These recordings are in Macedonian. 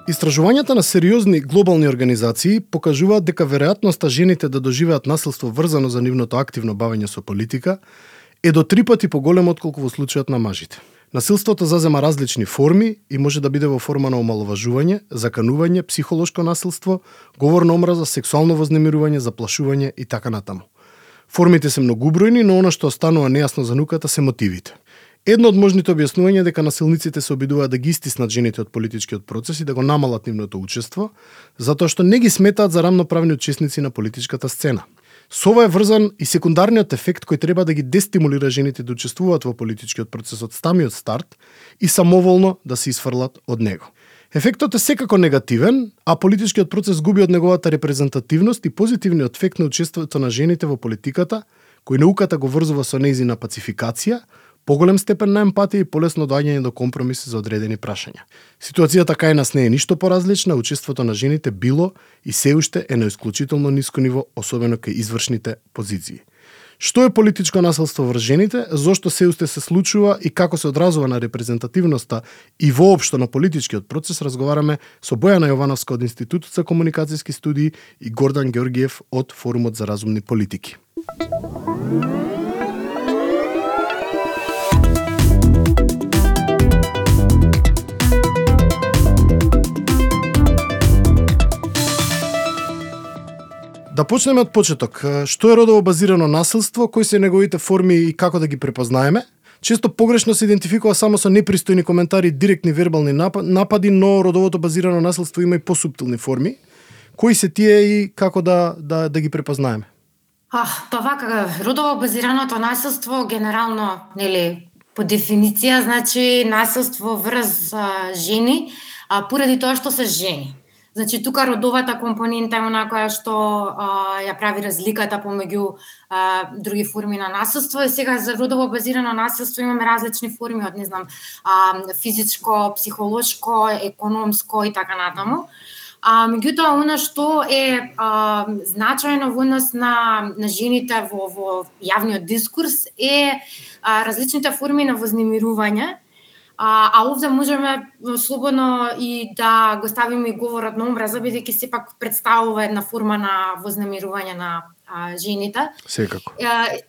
Истражувањата на сериозни глобални организации покажуваат дека веројатноста жените да доживеат насилство врзано за нивното активно бавење со политика е до 3 пати поголемо отколку во случајот на мажите. Насилството зазема различни форми и може да биде во форма на омаловажување, заканување, психолошко насилство, говорна омраза, сексуално вознемирување, заплашување и така натаму. Формите се многубројни, но она што останува нејасно за науката се мотивите. Едно од можните објаснувања е дека насилниците се обидуваат да ги истиснат жените од политичкиот процес и да го намалат нивното учество, затоа што не ги сметаат за рамноправни учесници на политичката сцена. Со ова е врзан и секундарниот ефект кој треба да ги дестимулира жените да учествуваат во политичкиот процес од самиот старт и самоволно да се исфрлат од него. Ефектот е секако негативен, а политичкиот процес губи од неговата репрезентативност и позитивниот ефект на учеството на жените во политиката, кој науката го врзува со нејзина пацификација, поголем степен на емпатија и полесно доаѓање до компромиси за одредени прашања. Ситуацијата кај нас не е ништо поразлична, учеството на жените било и се уште е на исклучително ниско ниво, особено кај извршните позиции. Што е политичко насилство врз жените, зошто се уште се случува и како се одразува на репрезентативноста и воопшто на политичкиот процес, разговараме со Бојана Јовановска од Институтот за комуникацијски студии и Гордан Ѓоргиев од Форумот за разумни политики. Да почнеме од почеток. Што е родово базирано насилство, кои се неговите форми и како да ги препознаеме? Често погрешно се идентификува само со непристојни коментари, директни вербални напади, но родовото базирано насилство има и посуптилни форми. Кои се тие и како да ги препознаеме? Па вака, родово базираното насилство генерално, по дефиниција, значи насилство врз жени, поради тоа што се жени. Значи, тука родовата компонента е она која што ја прави разликата помеѓу други форми на насилство. И сега за родово базирано насилство имаме различни форми од, физичко, психолошко, економско и така натаму. Меѓутоа, она што е значајно во однос на жените во јавниот дискурс е различните форми на вознемирување. А овде можеме слободно и да го ставиме и говорот на омраза, бидејќи сепак представува една форма на вознемирување на жените. Секако.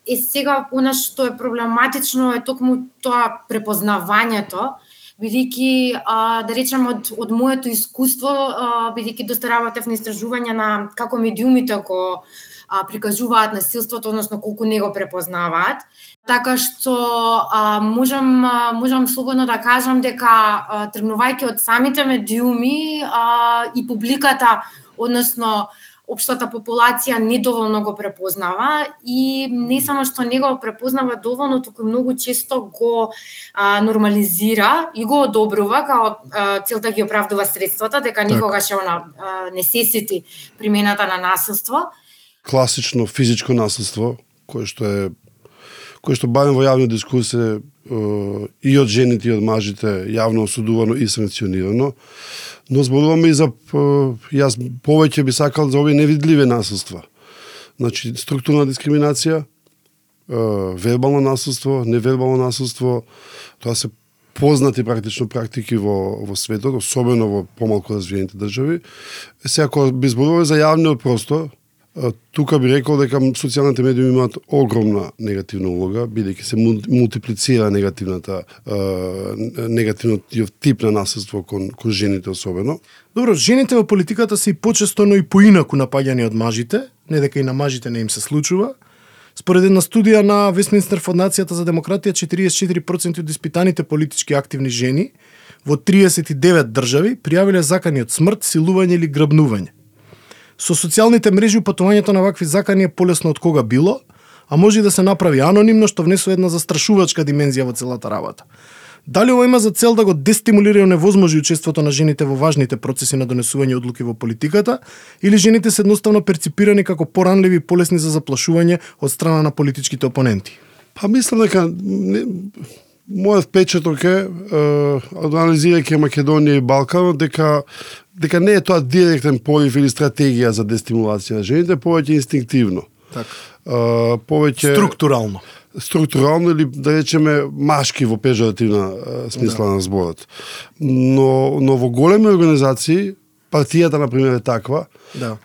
И сега, она што е проблематично е токму тоа препознавањето, бидејќи, да речем, од моето искуство, бидејќи доста работев на истражување на како медиумите го прикажуваат насилството, односно колку не го препознаваат. Така што можам слободно да кажам дека тргнувајќи од самите медиуми и публиката, односно општата популација недоволно го препознава и не само што не го препознава доволно, туку многу често го нормализира и го одобрува као целта ги оправдува средствата, дека никогаш не се сети примената на насилство. Класично физичко насилство, кое што барем во јавниот дискурс е и од жените и од мажите јавно осудувано и санкционирано, но зборуваме и за јас повеќе би сакал за овие невидливи насилства. Значи структурна дискриминација, вербално насилство, невербално насилство, тоа се познати практично практики во светот, особено во помалку развиените држави. Сега кога би зборуваме за јавниот простор, тука би рекол дека социјалните медиуми имаат огромна негативна улога, бидејќи се мултиплицира негативниот тип на насилство кон жените особено. Добро, жените во политиката се и почесто, но и поинаку напаѓани од мажите, не дека и на мажите не им се случува. Според една студија на Вестминстер Фондацијата за демократија, 44% од испитаните политички активни жени во 39 држави пријавиле закани од смрт, силување или грабнување. Со социјалните мрежи упатувањето на вакви закани е полесно од кога било, а може и да се направи анонимно, што внесува една застрашувачка димензија во целата работа. Дали ова има за цел да го дестимулира и оневозможи учеството на жените во важните процеси на донесување одлуки во политиката, или жените се едноставно перципирани како поранливи и полесни за заплашување од страна на политичките опоненти? Па мислам дека мојот впечаток е, анализирајќи Македонија и Балкан, дека не е тоа директен порив или стратегија за дестимулација на жените, повеќе инстинктивно. Повеќе структурално или да речеме машки во пежоративна смисла на зборот. Но во големи организации партијата на пример е таква,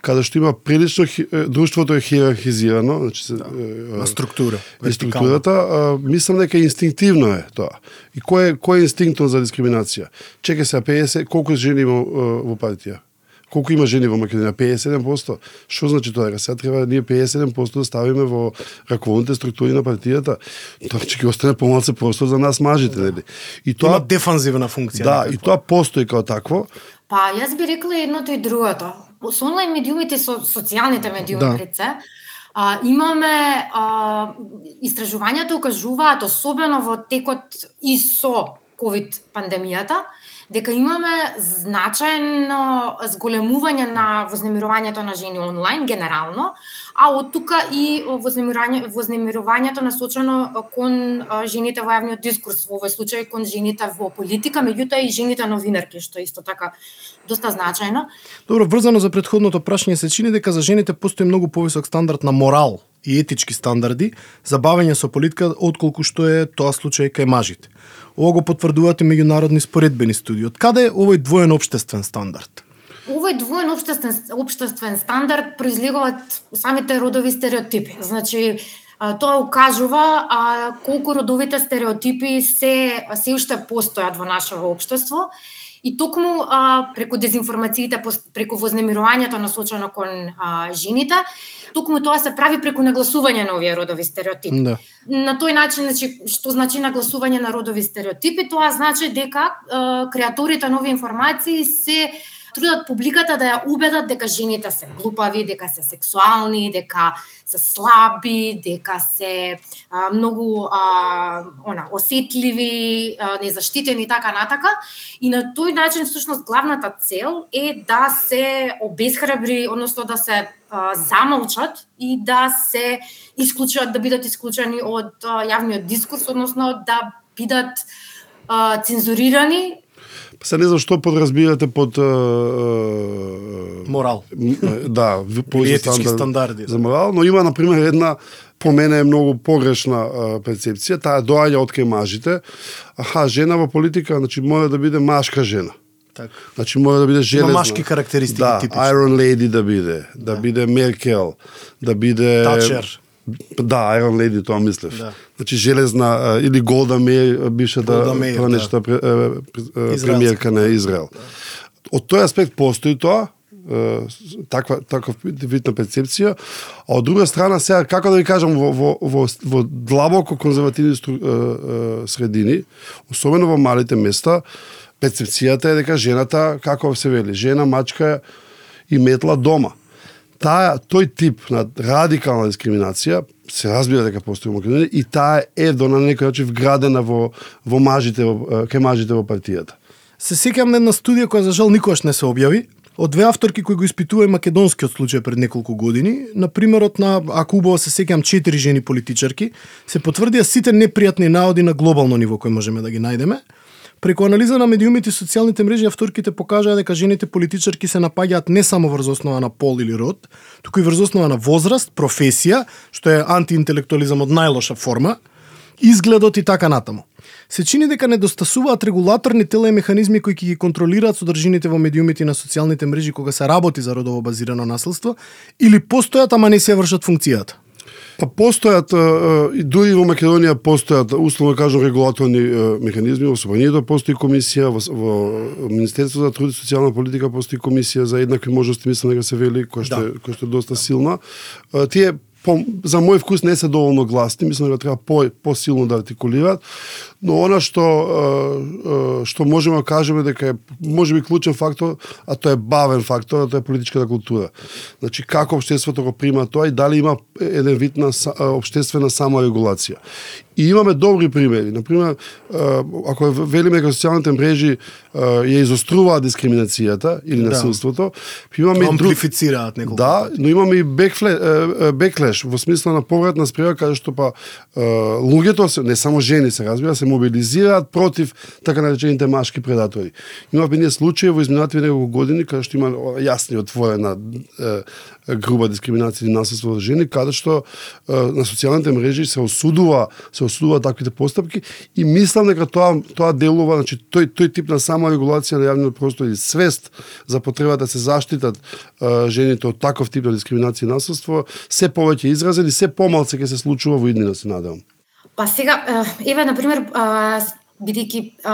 каде што има прилично друштвото е хиерархизирано, значи структура, структурата, мислам дека инстинктивно е тоа. И кој е инстинктот за дискриминација? Чекај се 50, колку жени има во партија? Колку има жени во Македонија? 57%. Што значи тоа? Сега треба ние 57% да ставиме во раководните структури на партијата. Тоа ќе остане помалку простор за нас мажите, нели? И тоа има дефанзивна функција. Да, и тоа постои како такво. Па, јас би рекла едното и другото. Со онлайн медиумите, со социјалните медиуми, пред се, имаме истражувањата укажуваат, особено во текот и со ковид пандемијата, дека имаме значајно зголемување на вознемирувањето на жени онлайн генерално, а од тука и вознемирувањето насочено кон жените во јавниот дискурс, во овој случај кон жените во политика, меѓутоа и жените новинарки, што е исто така доста значајно. Добро, врзано за претходното прашање, се чини дека за жените постои многу повисок стандард на морал и етички стандарди за бавење со политика отколку што е тоа случај кај мажите. Ова го потврдуваат и меѓународни споредбени студии. Од каде е овој двоен општествен стандард? Овој двоен општествен стандард произлегува од самите родови стереотипи. Значи, тоа укажува колку родовите стереотипи се уште постојат во нашето општество. И токму преку дезинформациите, преку вознемирувањето насочено кон жените, токму тоа се прави преку нагласување на овие родови стереотипи. Да. На тој начин, значи, што значи нагласување на родови стереотипи? Тоа значи дека креаторите на овие информации се трудат публиката да ја убедат дека жените се глупави, дека се сексуални, дека се слаби, дека се многу осетливи, незаштитени и така натака. И на тој начин всушност главната цел е да се обесхрабри, односно да се замолчат и да се исклучат, да бидат исклучени од јавниот дискурс, односно да бидат цензурирани. Се не знам што подразбирате под морал. Да, етички стандарди. За морал, но има на пример една по мене е многу погрешна перцепција, таа доаѓа од кај мажите. Жена во политика, значи мора да биде машка жена. Така. Значи мора да биде железна. Има машки карактеристики типично. Iron Lady да биде Меркел, да биде Тачер. Да, Iron Lady, тоа мислев. Да. Значи железна или Голда Меир, бившата пранешта премиерка на Израел. Да. Од тој аспект постои тоа, таква видна перцепција, а од друга страна сега како да ви кажам во длабоко конзервативни средини, особено во малите места, перцепцијата е дека жената, како се вели, жена, мачка и метла дома. Тој тип на радикална дискриминација се разбира дека постои во Македонија и таа е до на некој начин вградена во мажите, кај мажите во партијата. Се сеќавам на една студија која за жал никогаш не се објави, од две авторки кои го испитува и македонскиот случај пред неколку години. На примерот на, ако убаво се сеќавам, 4 жени политичарки, се потврдија сите непријатни наоди на глобално ниво кои можеме да ги најдеме. Преку анализа на медиумите и социјалните мрежи, авторките покажаа дека жените политичарки се напаѓаат не само врз основа на пол или род, туку и врз основа на возраст, професија, што е антиинтелектуализам од најлоша форма, изгледот и така натаму. Се чини дека недостасуваат регулаторни тела и механизми кои ќе ги контролираат содржините во медиумите и на социјалните мрежи кога се работи за родово базирано насилство, или постојат, ама не се вршат функцијата? Па постојат, и дури во Македонија постојат, условно кажам, регулаторни механизми, во Собранието постои комисија, во Министерството за труд и социјална политика постои комисија за еднакви можности, мислам дека се вели, која што е доста силна. Тие за мој вкус не се доволно гласни, мислам дека треба посилно да артикулираат, но она што можеме да кажеме дека е можеби клучен фактор, а тоа е бавен фактор, а тоа е политичката култура. Значи како општеството го прима тоа и дали има еден вид на општествена саморегулација. И имаме добри примери. Например, ако велиме дека социјалните мрежи ја изоструваат дискриминацијата или насилството, имаме амплифицираат неколку. Да, но имаме и беклеш во смисла на повратна спрега каде што луѓето, не само жени се разбира, се мобилизираат против така наречените машки предатори. Имаме ние случаи во изминатите неколку години каде што има јасни отворена груба дискриминација и насилство за жени, каде што на социјалните мрежи се осудува таквите постапки и мислам дека тоа делува, значи тој тип на саморегулација на јавниот простор и свест за потребата да се заштитат жените од таков тип на дискриминација и насилство се повеќе изразен и се помалку ќе се случува во иднина, се надевам. Па сега, еве, например, бидејќи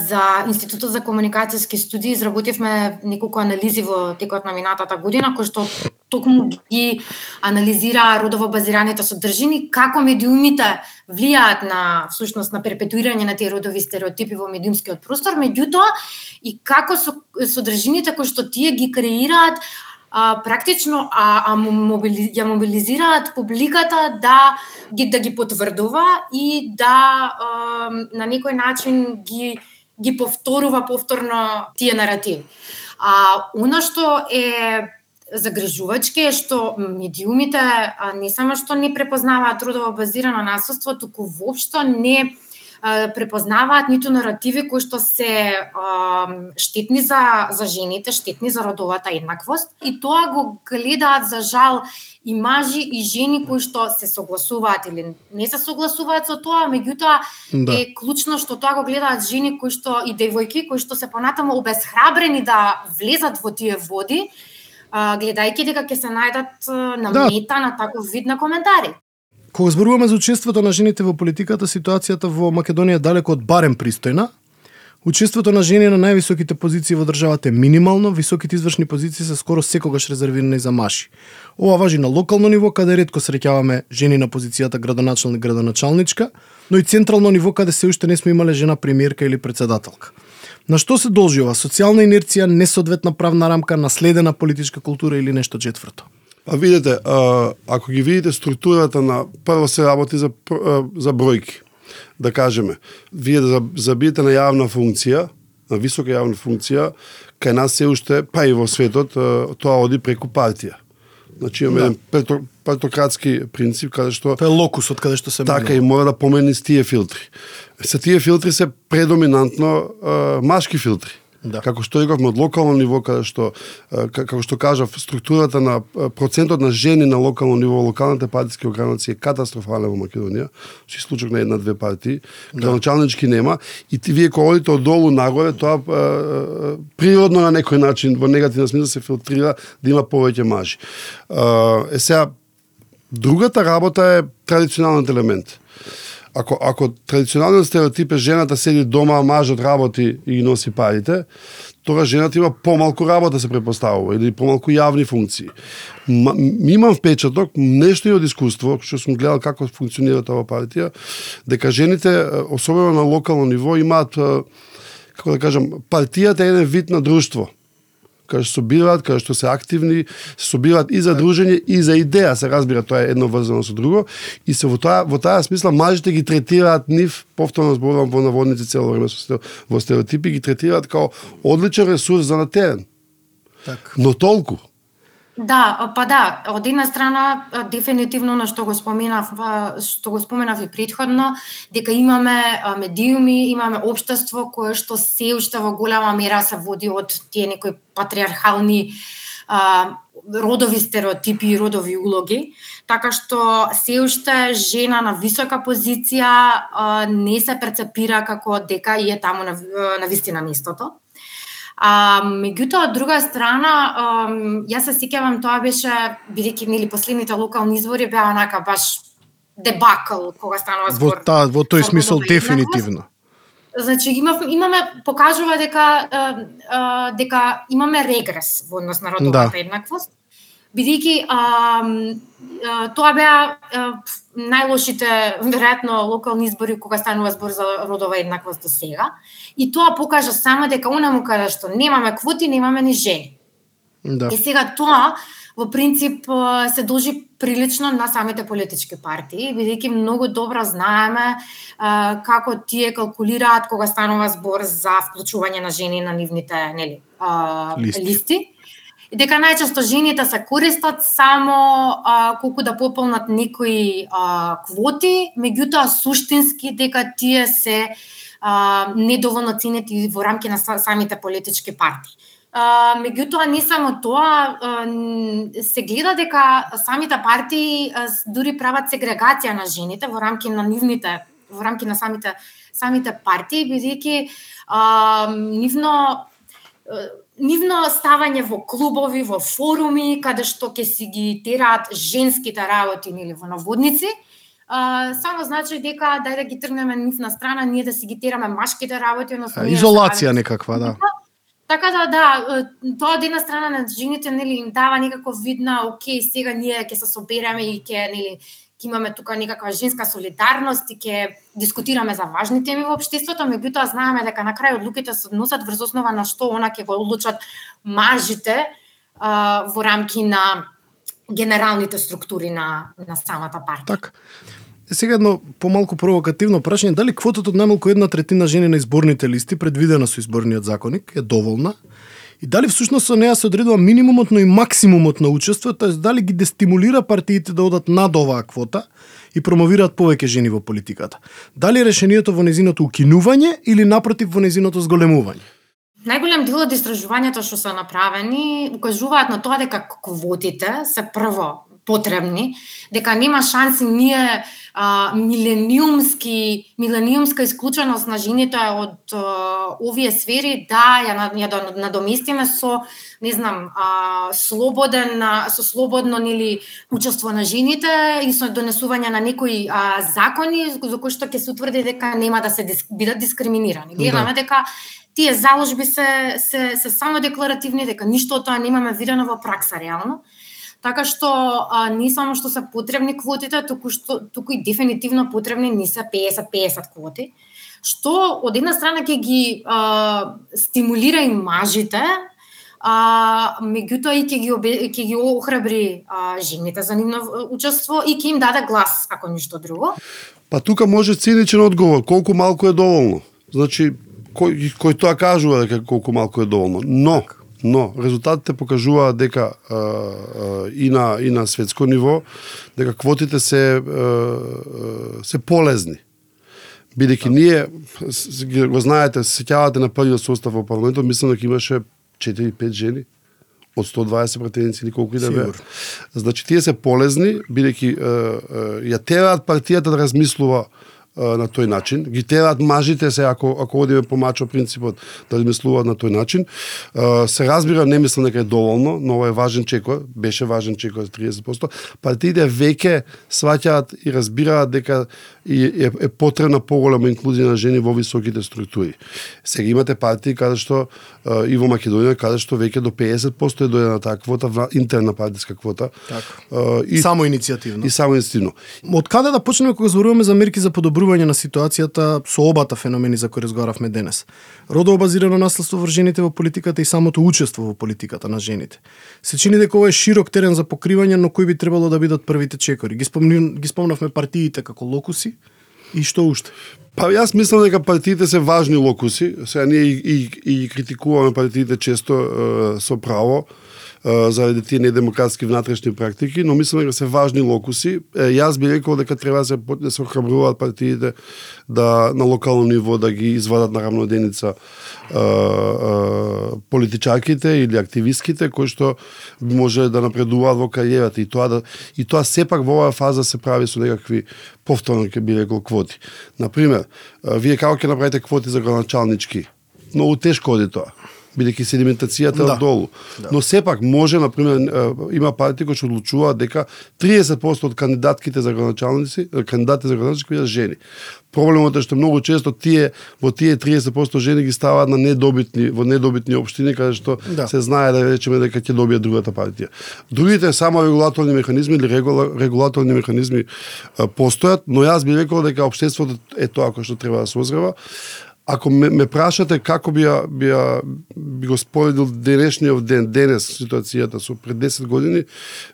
за Институтот за комуникацијски студии изработивме неколку анализи во текот на минатата година, кои што токму ги анализира родово базираните содржини, како медиумите влијаат на всушност на перпетуирање на тие родови стереотипи во медиумскиот простор, меѓутоа и како содржините кои што тие ги креираат практично ја мобилизираат публиката да ги потврдува и да на некој начин ги повторува повторно тие наративи. Она што е загрижувачки е што медиумите не само што не препознаваат родово базирано насилство, туку воопшто не препознаваат ниту наративи кои што се штетни за жените, штетни за родовата еднаквост, и тоа го гледаат за жал и мажи и жени кои што се согласуваат или не се согласуваат со тоа, меѓутоа е клучно што тоа го гледаат жени кои што и девојки кои што се понатаму обесхрабрени да влезат во тие води, гледајќи дека ќе се најдат на мета на таков вид на коментари. Кога зборуваме за учеството на жените во политиката, ситуацијата во Македонија е далеко од барем пристојна. Учеството на жени на највисоките позиции во државата е минимално, високите извршни позиции се скоро секогаш резервирани за мажи. Ова важи на локално ниво, каде ретко среќаваме жени на позицијата градоначалник, градоначалничка, но и централно ниво, каде се уште не сме имале жена премиерка или председателка. На што се должи ова? Социјална инерција, несоодветна правна рамка, наследена политичка култура или нешто четврто? А видите, ако ги видите структурата на прво се работи за бројки, да кажеме, вие да забиете на јавна функција, на висока јавна функција, кај нас се уште, па и во светот, тоа оди преку партија. Значи имаме еден партократски принцип каде што тоа е локусот каде што се така и мора да помени с тие филтри. Се тие филтри се предоминантно машки филтри. Да. Како што рековме од локално ниво, каде што како што кажав, структурата на процентот на жени на локално ниво, локалните партиски огранаци е катастрофален во Македонија. Си случок на една-две партии, градоначалнички нема и вие кога одите од долу нагоре, тоа природно на некој начин во негативен смисла се филтрира да има повеќе мажи. Сега другата работа е традиционалниот елемент. Ако традиционалниот стереотип е жената седи дома, а мажот работи и ги носи парите, тогаш жената има помалку работа се препоставува или помалку јавни функции. Имам впечаток, нешто и од искуство, што сум гледал како функционира таа партија, дека жените, особено на локално ниво, имаат, како да кажам, партијата е еден вид на друштво. Каде што собираат, каде што се активни, се собираат и за дружење и за идеја, се разбира, тоа е едно врзано со друго, и се во таа смисла мажите ги третираат нив, повторно зборувам во наводници цело време во стереотипи, ги третираат као одличен ресурс за на терен. Так. Но толку. Да, па да, од една страна дефинитивно на што го споменав и претходно, дека имаме медиуми, имаме општество кое што се уште во голема мера се води од тие некои патриархални родови стереотипи и родови улоги, така што се уште жена на висока позиција не се перцепира како дека е таму на вистина местото. Меѓутоа, од друга страна, јас се сеќавам, тоа беше, бидејќи нели последните локални избори беа онака баш дебакл кога станува збор. Во тој смисол дефинитивно. Значи покажува дека имаме регрес во однос на родовата еднаквост, бидејќи тоа беа најлошите, веројатно, локални избори кога станува збор за родова еднаквост до сега. И тоа покажа само дека онаму каде што немаме квоти, немаме ни жени. Да. И сега тоа, во принцип, се должи прилично на самите политички партии, бидејќи многу добро знаеме како тие калкулираат кога станува збор за вклучување на жени на нивните листи. И дека најчесто жените се користат само колку да пополнат некои квоти, меѓутоа суштински дека тие се недоволно ценети во рамки на самите политички партии. Меѓутоа, не само тоа, се гледа дека самите партии дури прават сегрегација на жените во рамки на самите партии, бидејќи нивно ставање во клубови, во форуми, каде што ќе си ги тераат женските работи или во наводници, само значи дека дај да ги тргнеме нивна страна, ние да си ги тераме машките работи, изолација некаква, да. Така да, тоа од една страна на жените им дава некако вид на окей, сега ние ќе се собереме и ќе имаме тука некаква женска солидарност и ќе дискутираме за важни теми во општеството, меѓутоа знаеме дека на крај одлуките се односат врз основа на што она ќе го одлучат мажите во рамки на генералните структури на самата партија. Така. Сега едно помалку провокативно прашање, дали квотата од најмалку 1/3 жени на изборните листи предвидена со изборниот законник е доволна? И дали всушност со неа се одредува минимумот, но и максимумот на учество, тоест дали ги дестимулира партиите да одат над оваа квота и промовираат повеќе жени во политиката? Дали решението во незиното укинување или напротив во незиното зголемување? Најголем дел од истражувањата што се направени укажуваат на тоа дека квотите се прво потребни, дека нема шанси ние милениумска исклученост на жените од овие сфери да ја надоместиме со, не знам, слободно нели учество на жените и со донесување на некои закони за кои што ќе се утврди дека нема да се бидат дискриминирани. Гледаме дека тие заложби се само декларативни, дека ништо од тоа немаме видено во пракса реално. Така што не само што се потребни квотите, туку и дефинитивно потребни не се 50-50 квоти, што од една страна ќе ги стимулира и мажите, меѓутоа и ќе ги охрабри жените за нивно учество и ќе им даде глас, ако ништо друго. Па тука може циничен одговор, колку малку е доволно. Значи, кој тоа кажува дека колку малку е доволно. Но резултатите покажуваат дека и на светско ниво дека квотите се полезни. Бидејќи ние го знаете, се сеќавате на првиот состав во парламентот, мислам дека имаше 4-5 жени од 120 пратеници или колку и да беа. Значи тие се полезни бидејќи ја тераат партијата да размислува на тој начин, ги тераат мажите се ако одиме по мачо принципот да размислуваат на тој начин. Се разбира, не мислам дека е доволно, но ова е важен чекор, беше важен чекор за 30%. Партиите веќе сваќаат и разбираат дека е потребна поголема инклузија на жени во високите структури. Сега имате партии каде што и во Македонија каде што веќе до 50% е дојдена таа квота, интерна партиска квота. Само иницијативно. И само иницијативно. Од каде да почнеме кога зборуваме за мерки за подобрување на ситуацијата со обата феномени за кои разговаравме денес? Родово базирано наследство врз жените во политиката и самото учество во политиката на жените. Се чини дека ова е широк терен за покривање, но кои би требало да бидат првите чекори? Ги спомнавме партиите како локуси и што уште? Па јас мислам дека партиите се важни локуси. Сега ние и критикуваме партиите често со право заради тие недемократски внатрешни практики, но мислам дека се важни локуси. Јас би рекол дека треба да се охрабруваат партиите да на локално ниво да ги извадат на рамноденица политичарките или активистките кои што може да напредуваат во кариерата и тоа сепак во оваа фаза се прави со некакви повторно ќе би рекол квоти. Например, вие како ќе направите квоти за градоначалнички? Многу тешко оди тоа, бидејќи седиментацијата е долу. Но сепак може, например, има партии кои што одлучуваат дека 30% од кандидатите за градоначалници бидат жени. Проблемот е што многу често во тие 30% жени ги ставаат на недобитни општини каде што се знае да речеме дека ќе добие другата партија. Другите само регулаторни механизми или регулаторни механизми постојат, но јас би рекол дека општеството е тоа кој што треба да се озрева. Ако ме прашате како би го споредил денешниот ден, денес ситуацијата со пред 10 години,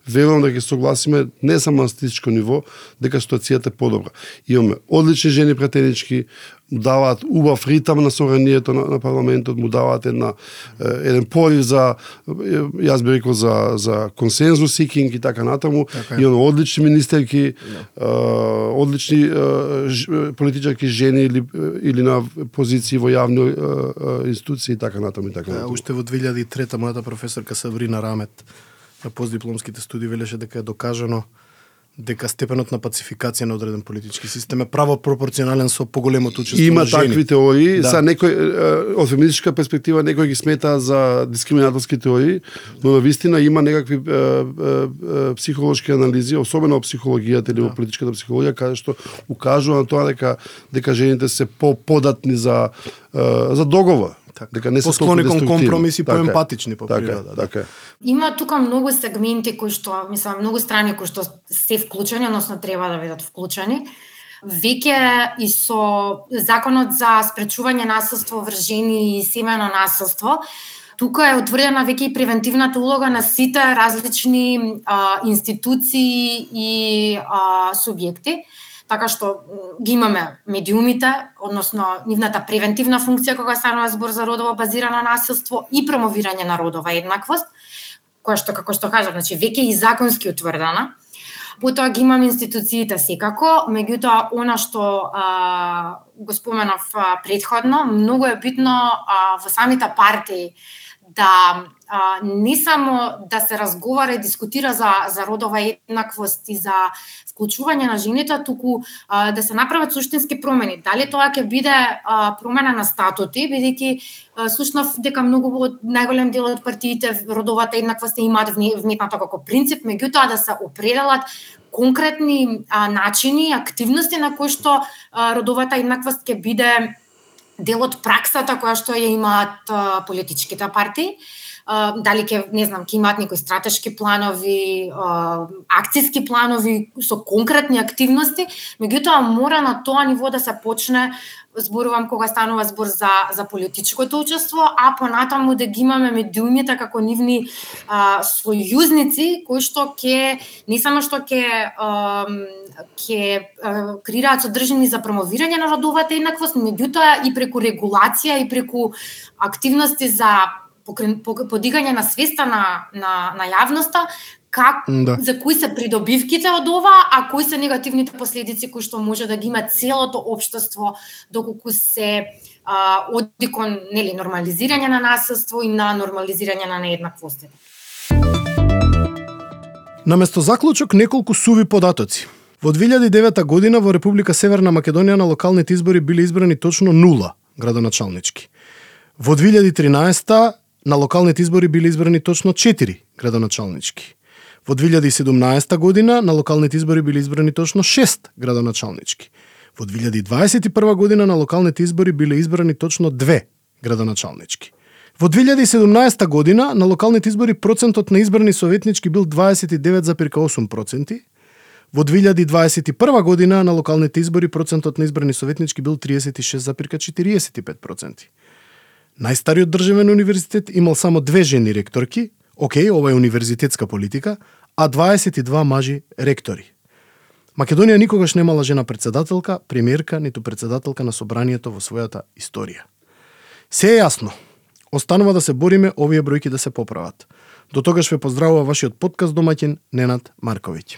верувам дека ќе согласиме не само на статистичко ниво, дека ситуацијата е подобра. Имаме одлични жени пратенички, му даваат убав ритам на соранието на парламентот, му даваат еден порив за, јас би рекол, за консензус сикинг и така натаму. И одлични министерки, одлични политичарки жени или на позиции во јавни институции и така натаму. Уште во 2003 мојата професорка Сабрина Рамет на постдипломските студии велеше дека е докажано дека степенот на пацификација на одреден политички систем е право пропорционален со поголемото учество на жени. Има такви теории, са некој од феминистичка перспектива некој ги смета за дискриминаторски теории, но на вистина има некакви психолошки анализи, особено во психологијата или во политичката психологија, каде што укажува на тоа дека жените се податни за договор. Дека не се посклони кон компромиси, поемпатични по природа. Така. Има тука многу сегменти кои што, мислам, многу страни кои што се вклучени, односно треба да бидат вклучени. Веќе и со законот за спречување насилство врз жени и семејно насилство, тука е утврдена веќе и превентивната улога на сите различни институции и субјекти. Така што ги имаме медиумите, односно нивната превентивна функција кога станува збор за родово базирано насилство и промовирање на родова еднаквост, која што, како што кажав, значи веќе и законски утврдена. Потоа ги имаме институциите секако, меѓутоа она што го споменав претходно, многу е битно во самите партии да не само да се разговара и дискутира за родова еднаквост и за вклучување на жените, туку да се направат суштински промени. Дали тоа ќе биде промена на статути, бидејќи слушнав дека многу од најголем дел од партиите родовата еднаквост имаат вметната како принцип, меѓутоа да се определат конкретни начини, активности на кои што родовата еднаквост ќе биде дел од праксата која што ја имаат политичките партии. Дали ќе имаат некои стратешки планови, акцијски планови со конкретни активности, меѓутоа мора на тоа ниво да се почне, зборувам кога станува збор за политичкото учество, а понатаму да ги имаме медиумите како нивни сојузници кои што ќе не само што ќе креираат содржини за промовирање на родовата еднаквост, меѓутоа и преку регулација и преку активности за подигање на свеста на јавноста, за кои се придобивките од ова, а кои се негативните последици кои што може да ги има целото општество доколку се оди кон нормализирање на насилство и на нормализирање на нееднаквостите. Наместо заклучок неколку суви податоци. Во 2009 година во Република Северна Македонија на локалните избори биле избрани точно 0 градоначалнички. Во 2013 на локалните избори биле избрани точно 4 градоначалнички. Во 2017 година на локалните избори биле избрани точно 6 градоначалнички. Во 2021 година на локалните избори биле избрани точно 2 градоначалнички. Во 2017 година на локалните избори процентот на избрани советнички бил 29,8%. Во 2021 година на локалните избори процентот на избрани советнички бил 36,45%. Најстариот државен универзитет имал само 2 жени ректорки, ова е универзитетска политика, а 22 мажи ректори. Македонија никогаш немала жена председателка, премиерка, ниту председателка на собранието во својата историја. Се е јасно. Останува да се бориме овие бројки да се поправат. До тогаш ве поздравува вашиот подкаст домаќин Ненад Марковиќ.